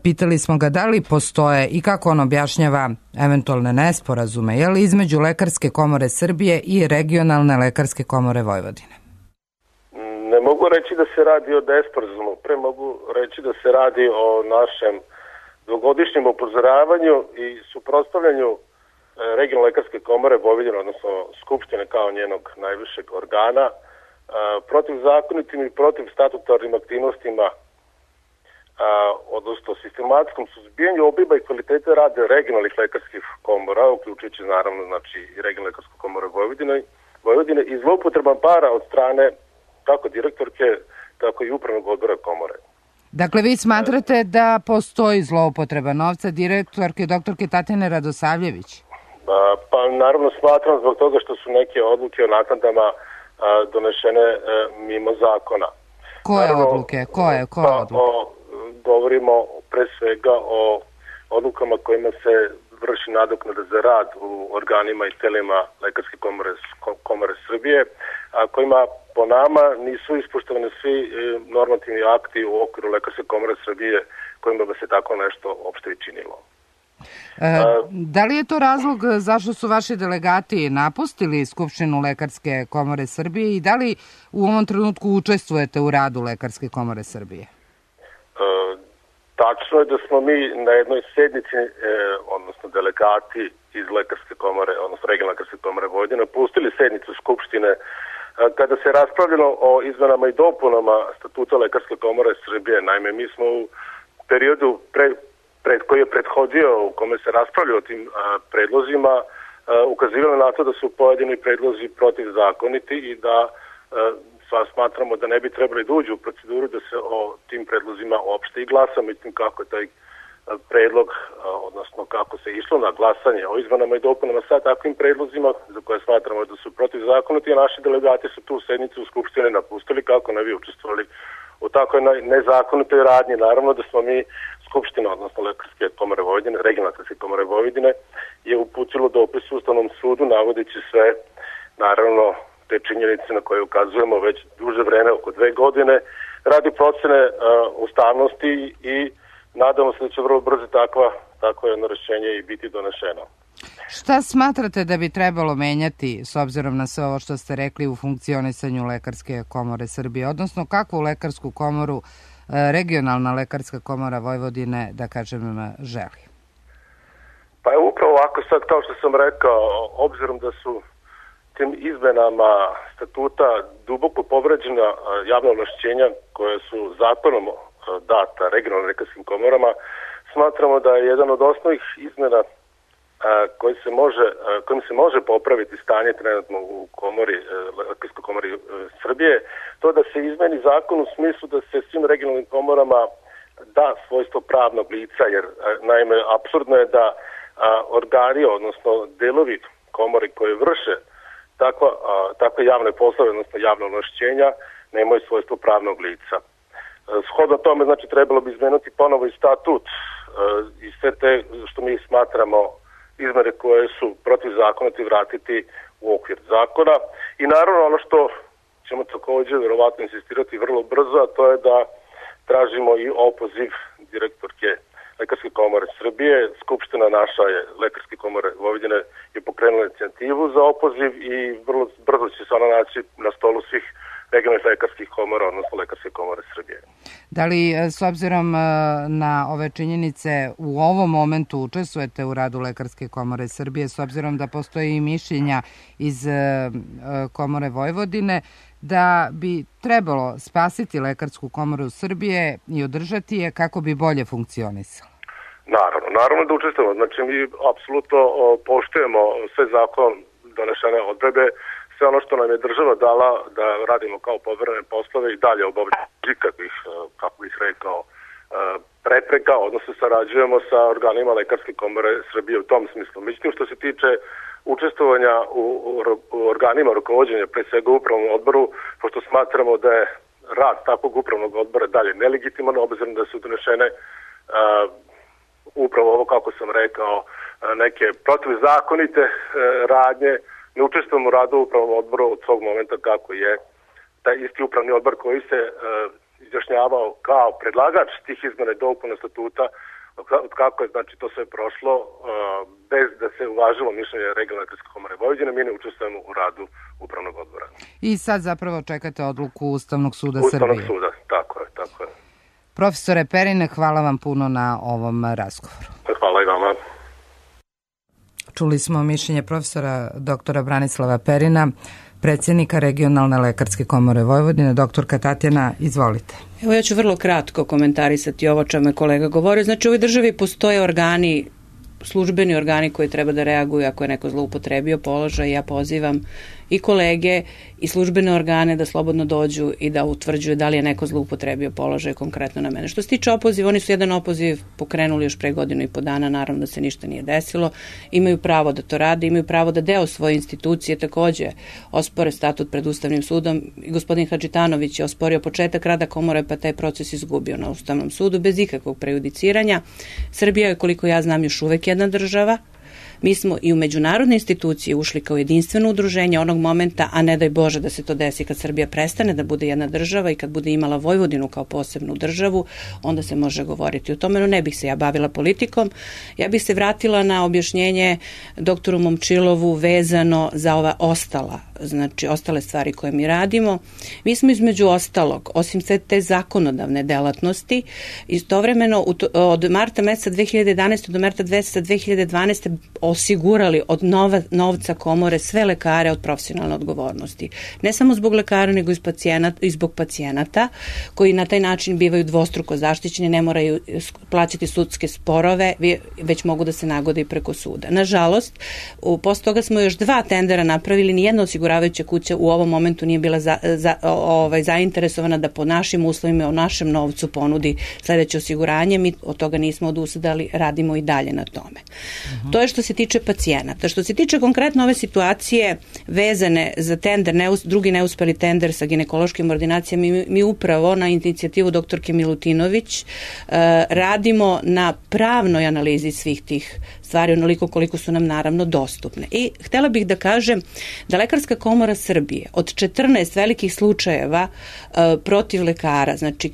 Pitali smo ga da li postoje i kako on objašnjava eventualne nesporazume između Lekarske komore Srbije i Regionalne lekarske komore Vojvodine. Ne mogu reći da se radi o nesporazumu, pre mogu reći da se radi o našem dvogodišnjem upozoravanju i suprotstavljanju Regionalne lekarske komore Vojvodine, odnosno Skupštine kao njenog najvišeg organa, protiv zakonitim i protiv statutarnim aktivnostima, odnosno sistematskom suzbijanju obima i kvalitete rada regionalnih lekarskih komora, uključujući naravno i Regionalnu lekarsku komoru Vojvodine i zloupotreban para od strane kako direktorke, tako i upravnog odbora komore. Dakle, vi smatrate da postoji zloupotreba novca direktorke doktorke Tatjane Radosavljević? Pa naravno smatram zbog toga što su neke odluke o naknadama donešene mimo zakona. Koje odluke? Koje odluke? Govorimo pre svega o odlukama kojima se vrši nadoknada za rad u organima i telima Lekarske komore Srbije, a kojima po nama nisu ispoštovani svi normativni akti u okviru Lekarske komore Srbije kojima bi se tako nešto uopšte i činilo. Da li je to razlog zašto su vaši delegati napustili Skupštinu Lekarske komore Srbije i da li u ovom trenutku učestvujete u radu Lekarske komore Srbije? Tačno je da smo mi na jednoj sednici, odnosno delegati iz Lekarske komore, odnosno Regionalne lekarske komore Vojvodine, pustili sednicu Skupštine kada se raspravljalo o izmenama i dopunama statuta Lekarske komore Srbije. Naime, mi smo u periodu koji je prethodio, u kome se raspravljalo o tim predlozima, ukazivali na to da su pojedini predlozi protivzakoniti i da smatramo da ne bi trebali da uđu u proceduru da se o tim predlozima uopšte i glasa. Mislim kako je taj predlog, odnosno kako se išlo na glasanje o izmenama i dopunama sa takvim predlozima za koje smatramo da su protivzakoniti, a naši delegati su tu sednicu u Skupštine napustili kako ne bi učestvovali u takvoj nezakonitoj radnji. Naravno da smo mi Skupština, odnosno Lekarske komore Vojvodine, Regionalne lekarske komore Vojvodine, je uputilo dopis Ustavnom sudu navodeći sve, naravno, te činjenice na koje ukazujemo već duže vreme, oko 2 godine, radi procene ustavnosti i nadamo se da će vrlo brzo takvo jedno rešenje i biti donešeno. Šta smatrate da bi trebalo menjati s obzirom na sve ovo što ste rekli u funkcionisanju Lekarske komore Srbije, odnosno kakvu lekarsku komoru regionalna lekarska komora Vojvodine, da kažem, želi? Pa je upravo ovako sad, kao što sam rekao, obzirom da su tim izmenama statuta duboko povređena javna ovlašćenja koje su zakonom data regionalnim lekarskim komorama, smatramo da je jedan od osnovnih izmena kojim se može popraviti stanje trenutno u Lekarskoj komori Srbije, to da se izmeni zakon u smislu da se svim regionalnim komorama da svojstvo pravnog lica, jer naime apsurdno je da organi, odnosno delovi komori koje vrše takve javne poslove, odnosno javne ovlašćenja, nemaju svojstvo pravnog lica. Shodno tome, znači, trebalo bi izmenuti ponovo i statut i sve te što mi smatramo izmene koje su protivzakonite vratiti u okvir zakona. I naravno ono što ćemo također verovatno insistirati vrlo brzo, a to je da tražimo i opoziv direktorke Lekarske komore Srbije. Skupština naša je Lekarske komore Vojvodine je pokrenula inicijativu za opoziv i vrlo brzo će se ona naći na stolu svih regionalnih lekarskih komora, odnosno Lekarske komore Srbije. Da li s obzirom na ove činjenice u ovom momentu učestvujete u radu Lekarske komore Srbije, s obzirom da postoji i mišljenja iz Komore Vojvodine, da bi trebalo spasiti Lekarsku komoru Srbije i održati je kako bi bolje funkcionisala? Naravno da učestvujemo. Znači, mi apsolutno poštujemo sve zakon donešene odredbe, sve ono što nam je država dala da radimo kao poverene poslove i dalje obavljamo ikakvih, kako bih rekao, prepreka, odnosno sarađujemo sa organima Lekarske komore Srbije u tom smislu. Međutim, što se tiče učestvovanja u organima rukovođenja, pre svega u upravnom odboru, pošto smatramo da je rad takvog upravnog odbora dalje nelegitiman, obzirom da su donešene upravo ovo, kako sam rekao, neke protivzakonite radnje. Ne učestvujemo u radu upravnom odboru od svog momenta kako je taj isti upravni odbor koji se izjašnjavao kao predlagač tih izmena i dopuna statuta, od kako je znači to sve prošlo, bez da se uvažilo mišljenje regionalne lekarske komore Vojvodine, mi ne učestvujemo u radu upravnog odbora. I sad zapravo čekate odluku Ustavnog suda Srbije. Ustavnog suda, tako je. Profesore Perine, hvala vam puno na ovom razgovoru. Hvala i vama. Čuli smo mišljenje profesora doktora Branislava Perina, predsjednika regionalne lekarske komore Vojvodine. Doktorka Tatjana, izvolite. Evo, ja ću vrlo kratko komentarisati ovo čemu je kolega govorio. Znači, u ovoj državi postoje organi, službeni organi koji treba da reaguju ako je neko zloupotrebio položaj. Ja pozivam i kolege i službene organe da slobodno dođu i da utvrđuju da li je neko zloupotrebio položaj konkretno na mene. Što se tiče opoziva, oni su jedan opoziv pokrenuli još pre 1.5 godina, naravno da se ništa nije desilo. Imaju pravo da to rade, imaju pravo da deo svoje institucije takođe ospore statut pred Ustavnim sudom. I gospodin Hadžitanović je osporio početak rada komore, pa taj proces izgubio na Ustavnom sudu bez ikakvog prejudiciranja. Srbija je, koliko ja znam, još uvek jedna država. Mi smo i u međunarodne institucije ušli kao jedinstveno udruženje onog momenta, a ne daj Bože da se to desi kad Srbija prestane da bude jedna država i kad bude imala Vojvodinu kao posebnu državu, onda se može govoriti o tome, no ne bih se ja bavila politikom. Ja bih se vratila na objašnjenje doktoru Momčilovu vezano za ova ostale stvari koje mi radimo. Mi smo između ostalog, osim sve te zakonodavne delatnosti, istovremeno od marta meseca 2011. do marta meseca 2012. osigurali od novca komore sve lekare od profesionalne odgovornosti. Ne samo zbog lekara, nego i zbog pacijenata, koji na taj način bivaju dvostruko zaštićeni, ne moraju plaćati sudske sporove, već mogu da se nagode i preko suda. Nažalost, posle toga smo još 2 tendera napravili, nijedna osiguravajuća kuća u ovom momentu nije bila zainteresovana da po našim uslovima, o našem novcu ponudi sledeće osiguranje. Mi od toga nismo odustali, radimo i dalje na tome. To je što se tiče pacijenata. Što se tiče konkretno ove situacije vezane za tender, drugi neuspeli tender sa ginekološkim ordinacijama, mi upravo na inicijativu doktorke Milutinović radimo na pravnoj analizi svih tih stvari, onoliko koliko su nam naravno dostupne. I htela bih da kažem da Lekarska komora Srbije od 14 velikih slučajeva protiv lekara, znači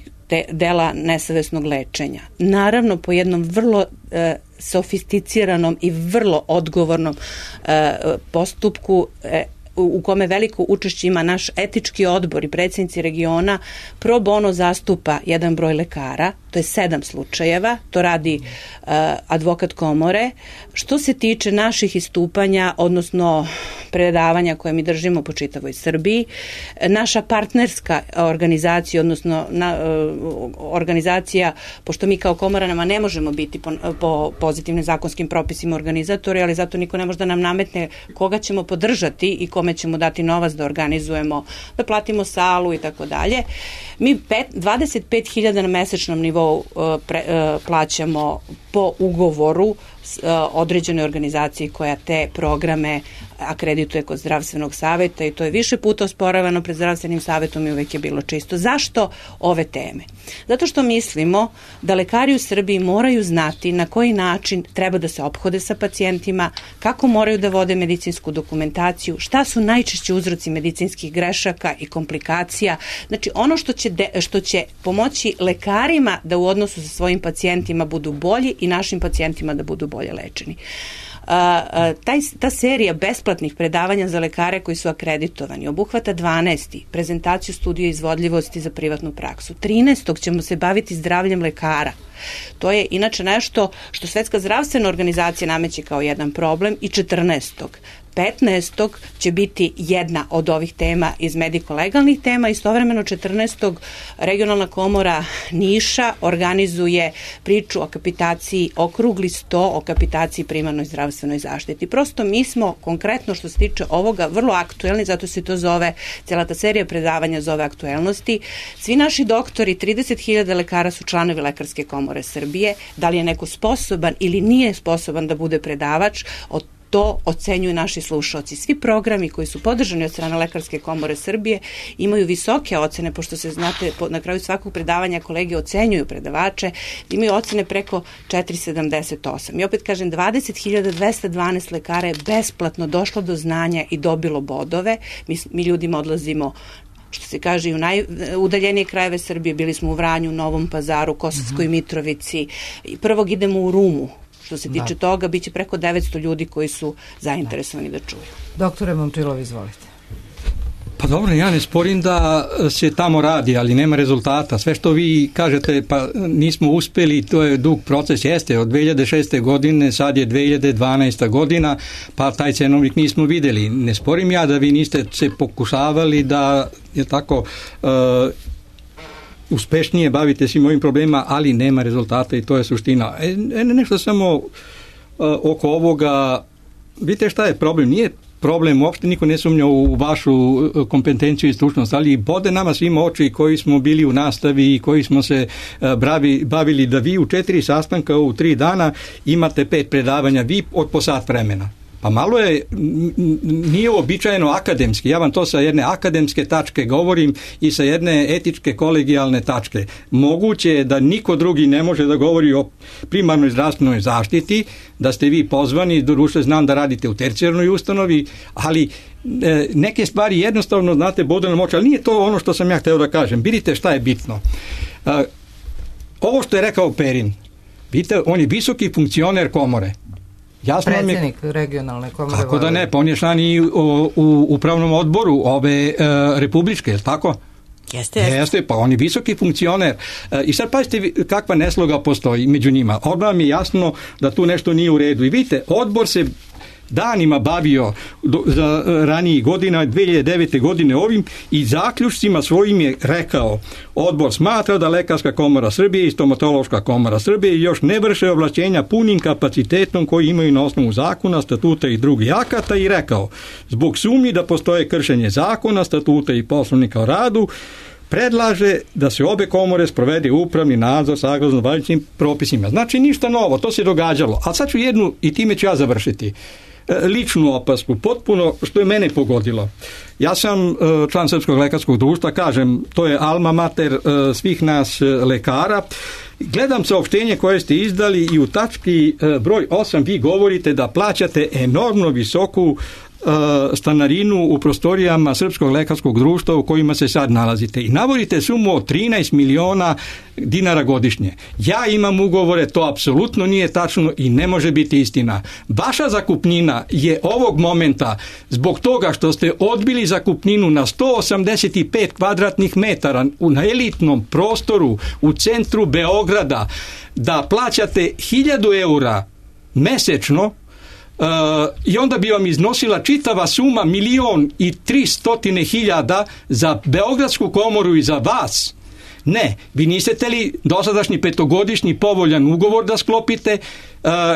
dela nesavesnog lečenja, naravno po jednom vrlo sofisticiranom i vrlo odgovornom postupku u kome veliko učešće ima naš etički odbor i predsjednici regiona pro bono zastupa jedan broj lekara, to je 7 slučajeva, to radi advokat komore. Što se tiče naših istupanja, odnosno predavanja koje mi držimo po čitavoj Srbiji, naša partnerska organizacija, odnosno organizacija, pošto mi kao komora ne možemo biti po pozitivnim zakonskim propisima organizatori, ali zato niko ne može da nam nametne koga ćemo podržati i kome ćemo dati novac da organizujemo, da platimo salu i tako dalje. Mi 25.000 na mesečnom nivou plaćamo po ugovoru određenoj organizaciji koja te programe akredituje kod zdravstvenog saveta i to je više puta osporavano pred zdravstvenim savetom i uvek je bilo čisto. Zašto ove teme? Zato što mislimo da lekari u Srbiji moraju znati na koji način treba da se ophode sa pacijentima, kako moraju da vode medicinsku dokumentaciju, šta su najčešći uzroci medicinskih grešaka i komplikacija. Znači ono što će pomoći lekarima da u odnosu sa svojim pacijentima budu bolji i našim pacijentima da budu bolje lečeni. Ta serija besplatnih predavanja za lekare koji su akreditovani obuhvata 12. prezentaciju studije izvodljivosti za privatnu praksu. 13. ćemo se baviti zdravljem lekara. To je inače nešto što Svetska zdravstvena organizacija nameće kao jedan problem i 14. 15. će biti jedna od ovih tema iz mediko-legalnih tema. Istovremeno 14. regionalna komora Niša organizuje priču o kapitaciji, okrugli 100 o kapitaciji primarnoj zdravstvenoj zaštiti. Prosto mi smo konkretno što se tiče ovoga vrlo aktuelni, zato se to zove, cijela ta serija predavanja zove aktuelnosti. Svi naši doktori, 30.000 lekara su članovi Lekarske komore Srbije. Da li je neko sposoban ili nije sposoban da bude predavač, to ocenjuju naši slušaoci. Svi programi koji su podržani od strane Lekarske komore Srbije imaju visoke ocene, pošto se znate, na kraju svakog predavanja kolege ocenjuju predavače, imaju ocene preko 4,78. I opet kažem, 20.212 lekara je besplatno došlo do znanja i dobilo bodove. Mi ljudima odlazimo, što se kaže, i u najudaljenije krajeve Srbije, bili smo u Vranju, Novom Pazaru, Kosovskoj Mitrovici. Prvog idemo u Rumu. Što se tiče toga, bit će preko 900 ljudi koji su zainteresovani da čuju. Doktore Momčilov, izvolite. Pa dobro, ja ne sporim da se tamo radi, ali nema rezultata. Sve što vi kažete, pa nismo uspeli, to je dug proces, jeste od 2006. godine, sad je 2012. godina, pa taj cenovnik nismo videli. Ne sporim ja da vi niste se pokušavali da je tako uspešnije bavite svim ovim problemima, ali nema rezultata i to je suština. Nešto samo oko ovoga, vidite šta je problem, nije problem, uopšte niko ne sumnja u vašu kompetenciju i stručnost, ali bode nama svima oči koji smo bili u nastavi i koji smo se bavili da vi u 4 sastanka u 3 dana imate 5 predavanja, vi od po sat vremena. Pa malo je, nije uobičajeno akademski, ja vam to sa jedne akademske tačke govorim i sa jedne etičke kolegijalne tačke. Moguće je da niko drugi ne može da govori o primarnoj zdravstvenoj zaštiti, da ste vi pozvani, doduše znam da radite u tercijarnoj ustanovi, ali neke stvari jednostavno, znate, bodu na moć, ali nije to ono što sam ja hteo da kažem. Vidite šta je bitno. Ovo što je rekao Perin, vidite, on je visoki funkcioner komore. Predsjednik regionalne komore. Kako da ne, pa on je član i u upravnom odboru ove republičke, je li tako? Jeste, pa on je visoki funkcioner. I sad pazite kakva nesloga postoji među njima. Odmah mi je jasno da tu nešto nije u redu. I vidite, odbor se danima bavio za ranijih godina, 2009. godine ovim i zaključcima svojim je rekao: odbor smatra da Lekarska komora Srbije i Stomatološka komora Srbije još ne vrše ovlašćenja punim kapacitetom koji imaju na osnovu zakona, statuta i drugih akata, i rekao: zbog sumnji da postoje kršenje zakona, statuta i poslovnika o radu, predlaže da se obe komore sprovede upravni nadzor saglasno važećim propisima. Znači ništa novo, to se događalo. A sad ću jednu, i time ću ja završiti, ličnu opasku, potpuno što je mene pogodilo. Ja sam član Srpskog lekarskog društva, kažem, to je alma mater svih nas lekara. Gledam saopštenje koje ste izdali i u tački broj 8 vi govorite da plaćate enormno visoku stanarinu u prostorijama Srpskog lekarskog društva u kojima se sad nalazite i navodite sumu od 13 miliona dinara godišnje. Ja imam ugovore, to apsolutno nije tačno i ne može biti istina. Vaša zakupnina je ovog momenta zbog toga što ste odbili zakupninu na 185 kvadratnih metara na elitnom prostoru u centru Beograda da plaćate 1000 eura mesečno, i onda bi vam iznosila čitava suma 1.300.000 za Beogradsku komoru i za vas. Ne, vi niste teli dosadašnji 5-godišnji povoljan ugovor da sklopite,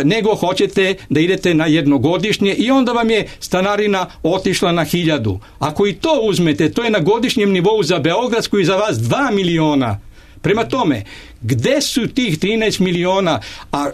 nego hoćete da idete na jednogodišnje i onda vam je stanarina otišla na 1000. Ako i to uzmete, to je na godišnjem nivou za Beogradsku i za vas 2 miliona. Prema tome, gde su tih 13 miliona, a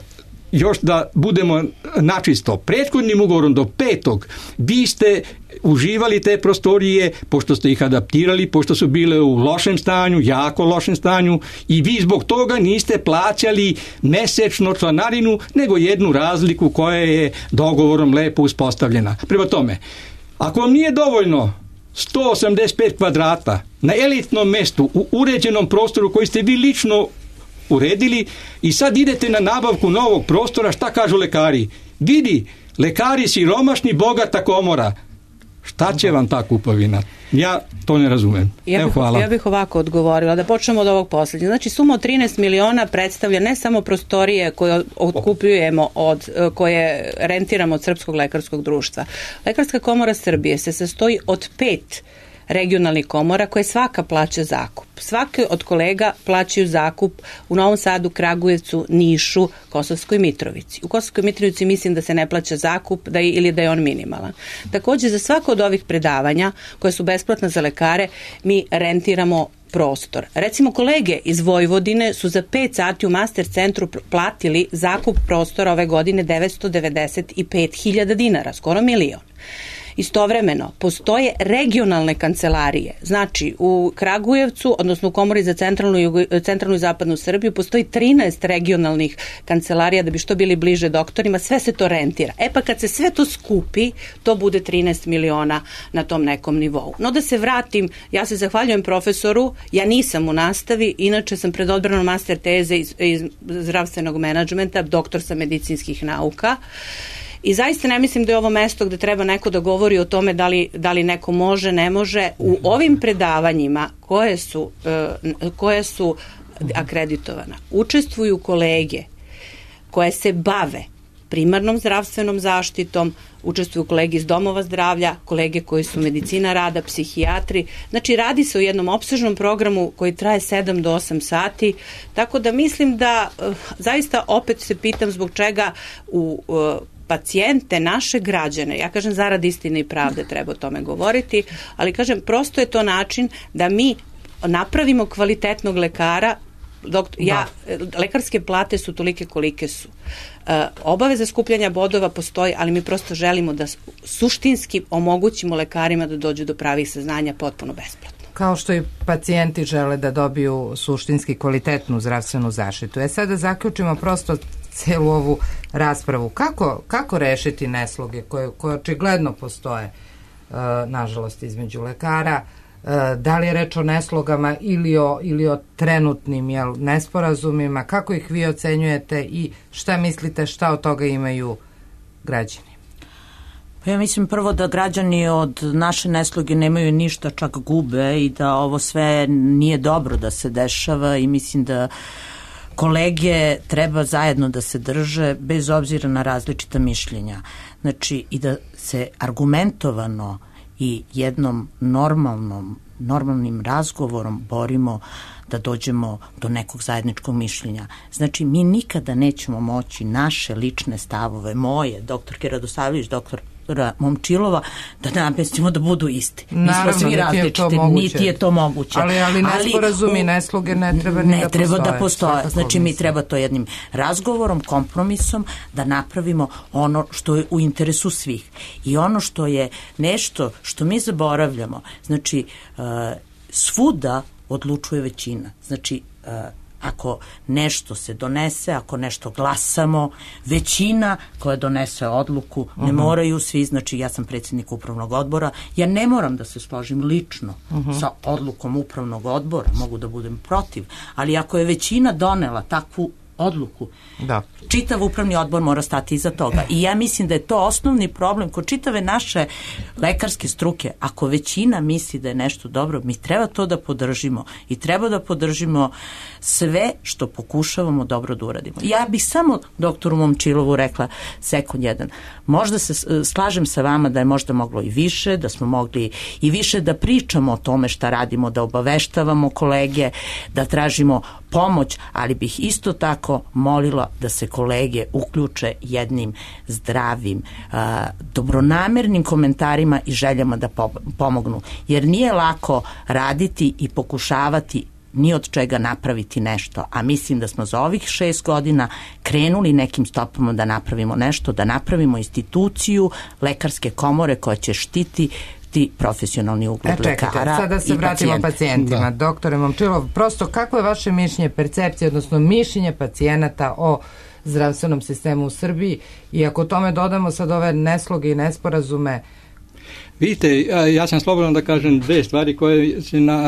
još da budemo načisto, prethodnim ugovorom do 5. vi ste uživali te prostorije, pošto ste ih adaptirali, pošto su bile u lošem stanju, jako lošem stanju, i vi zbog toga niste plaćali mesečno članarinu, nego jednu razliku koja je dogovorom lepo uspostavljena. Prema tome, ako vam nije dovoljno 185 kvadrata na elitnom mestu u uređenom prostoru koji ste vi lično uredili i sad idete na nabavku novog prostora, šta kažu lekari? Vidi, lekari siromašni, bogata komora. Šta će vam ta kupovina? Ja to ne razumem. Hvala. Ja bih ovako odgovorila, da počnemo od ovog posljednjeg. Znači, suma od 13 miliona predstavlja ne samo prostorije koje otkupljujemo, koje rentiramo od Srpskog lekarskog društva. Lekarska komora Srbije se sastoji od 5 regionalnih komora koje svaka plaća zakup. Svaki od kolega plaćaju zakup u Novom Sadu, Kragujevcu, Nišu, Kosovskoj Mitrovici. U Kosovskoj Mitrovici mislim da se ne plaća zakup ili da je on minimalan. Također, za svako od ovih predavanja koje su besplatna za lekare, mi rentiramo prostor. Recimo, kolege iz Vojvodine su za 5 sati u Master centru platili zakup prostora ove godine 995.000 dinara, skoro 1 milion. Istovremeno, postoje regionalne kancelarije. Znači, u Kragujevcu, odnosno u Komori za centralnu i zapadnu Srbiju, postoji 13 regionalnih kancelarija da bi što bili bliže doktorima. Sve se to rentira. Pa kad se sve to skupi, to bude 13 miliona na tom nekom nivou. No da se vratim, ja se zahvaljujem profesoru, ja nisam u nastavi, inače sam pred odbranom master teze iz zdravstvenog menadžmenta, doktor sam medicinskih nauka. I zaista ne mislim da je ovo mesto gde treba neko da govori o tome da li neko može, ne može. U ovim predavanjima koje su akreditovana, učestvuju kolege koje se bave primarnom zdravstvenom zaštitom, učestvuju kolege iz domova zdravlja, kolege koji su medicina rada, psihijatri. Znači, radi se o jednom opsežnom programu koji traje 7 do 8 sati, tako da mislim da zaista opet se pitam zbog čega u pacijente, naše građane, ja kažem zarad istine i pravde treba o tome govoriti, ali kažem prosto je to način da mi napravimo kvalitetnog lekara. Lekarske plate su tolike kolike su. Obaveza skupljanja bodova postoji, ali mi prosto želimo da suštinski omogućimo lekarima da dođu do pravih saznanja potpuno besplatno. Kao što i pacijenti žele da dobiju suštinski kvalitetnu zdravstvenu zaštitu. Sada zaključimo prosto celu ovu raspravu. Kako rešiti nesloge koje očigledno postoje, nažalost, između lekara? Da li je reč o neslogama ili o trenutnim nesporazumima? Kako ih vi ocenjujete i šta mislite šta od toga imaju građani? Ja mislim prvo da građani od naše nesloge nemaju ništa, čak gube, i da ovo sve nije dobro da se dešava, i mislim da kolege treba zajedno da se drže bez obzira na različita mišljenja. Znači, i da se argumentovano i jednom normalnim razgovorom borimo da dođemo do nekog zajedničkog mišljenja. Znači, mi nikada nećemo moći naše lične stavove, moje, doktorke Radosavljević, doktora Momčilova, da namestimo da budu isti. Mi smo svi različiti, niti je to moguće. Ali nesporazumi, nesloge ne treba da postoje. Znači, mi treba to jednim razgovorom, kompromisom da napravimo ono što je u interesu svih. I ono što je nešto što mi zaboravljamo, znači, svuda odlučuje većina. Znači, ako nešto se donese, ako nešto glasamo, većina koja donese odluku, ne moraju svi, znači ja sam predsjednik upravnog odbora, ja ne moram da se složim lično sa odlukom upravnog odbora, mogu da budem protiv, ali ako je većina donela takvu odluku, čitav upravni odbor mora stati iza toga. I ja mislim da je to osnovni problem kod čitave naše lekarske struke. Ako većina misli da je nešto dobro, mi treba to da podržimo i treba da podržimo sve što pokušavamo dobro da uradimo. Ja bih samo doktoru Momčilovu rekla sekund jedan. Možda se slažem sa vama da je možda moglo i više, da smo mogli i više da pričamo o tome šta radimo, da obaveštavamo kolege, da tražimo pomoć, ali bih isto tako molila da se kolege uključe jednim zdravim, dobronamernim komentarima i željama da pomognu. Jer nije lako raditi i pokušavati ni od čega napraviti nešto, a mislim da smo za ovih 6 godina krenuli nekim stopama da napravimo nešto, da napravimo instituciju lekarske komore koja će štititi profesionalni ugled lekara. Sada se vratimo pacijentima. Doktore Momčilov, prosto kako je vaše mišljenje, percepcija, odnosno mišljenje pacijenata o zdravstvenom sistemu u Srbiji i ako tome dodamo sad ove nesloge i nesporazume? Vidite, ja sam slobodan da kažem dve stvari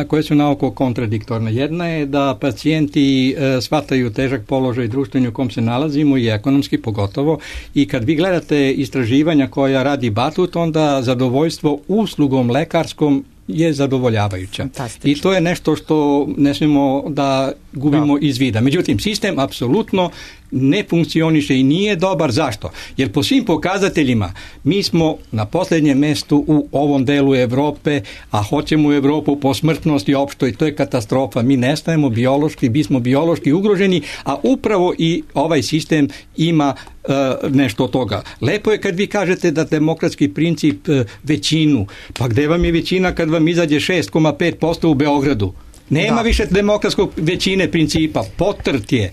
koje su naoko kontradiktorne. Jedna je da pacijenti shvataju težak položaj društveni u kom se nalazimo i ekonomski pogotovo, i kad vi gledate istraživanja koja radi Batut, onda zadovoljstvo uslugom lekarskom je zadovoljavajuća. I to je nešto što ne smijemo da gubimo iz vida. Međutim, sistem apsolutno ne funkcioniše i nije dobar. Zašto? Jer po svim pokazateljima mi smo na posljednjem mjestu u ovom delu Evrope, a hoćemo u Evropu po smrtnosti opštoj. To je katastrofa. Mi nestajemo biološki, bismo biološki ugroženi, a upravo i ovaj sistem ima nešto od toga. Lepo je kad vi kažete da demokratski princip većinu. Pa gde vam je većina kad vam izađe 6,5% u Beogradu? Nema više demokratskog većine principa, potrt je,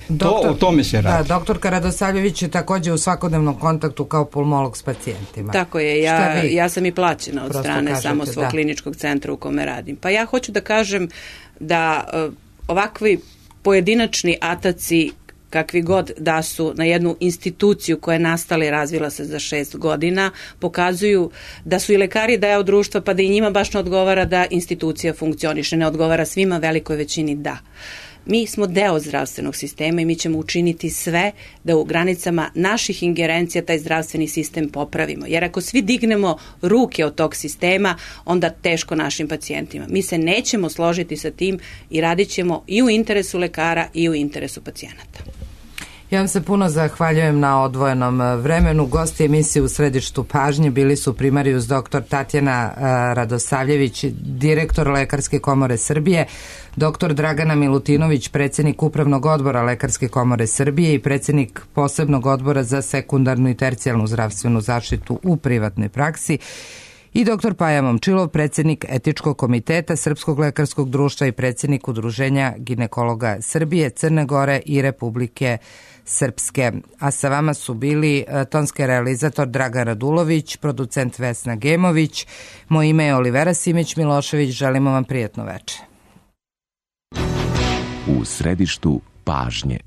o tome se radi. Da, doktorka Radosavljević je također u svakodnevnom kontaktu kao pulmolog s pacijentima. Tako je, ja sam i plaćena od strane samo svog kliničkog centra u kome radim. Pa ja hoću da kažem da ovakvi pojedinačni ataci kakvi god da su na jednu instituciju koja je nastala i razvila se za 6 godina, pokazuju da su i lekari deo društva, pa da i njima baš ne odgovara da institucija funkcioniše, ne odgovara svima, velikoj većini da. Mi smo deo zdravstvenog sistema i mi ćemo učiniti sve da u granicama naših ingerencija taj zdravstveni sistem popravimo. Jer ako svi dignemo ruke od tog sistema, onda teško našim pacijentima. Mi se nećemo složiti sa tim i radit ćemo i u interesu lekara i u interesu pacijenata. Ja vam se puno zahvaljujem na odvojenom vremenu. Gosti emisije U središtu pažnje bili su primarius dr. Tatjana Radosavljević, direktor Lekarske komore Srbije, dr. Dragana Milutinović, predsjednik Upravnog odbora Lekarske komore Srbije i predsjednik Posebnog odbora za sekundarnu i tercijalnu zdravstvenu zaštitu u privatnoj praksi, i dr. Paja Momčilov, predsjednik Etičkog komiteta Srpskog lekarskog društva i predsjednik Udruženja ginekologa Srbije, Crne Gore i Republike Srpske. A sa vama su bili tonski realizator Dragan Radulović, producent Vesna Gemović, moje ime je Olivera Simić-Milošević, želimo vam prijatno večer. U središtu pažnje.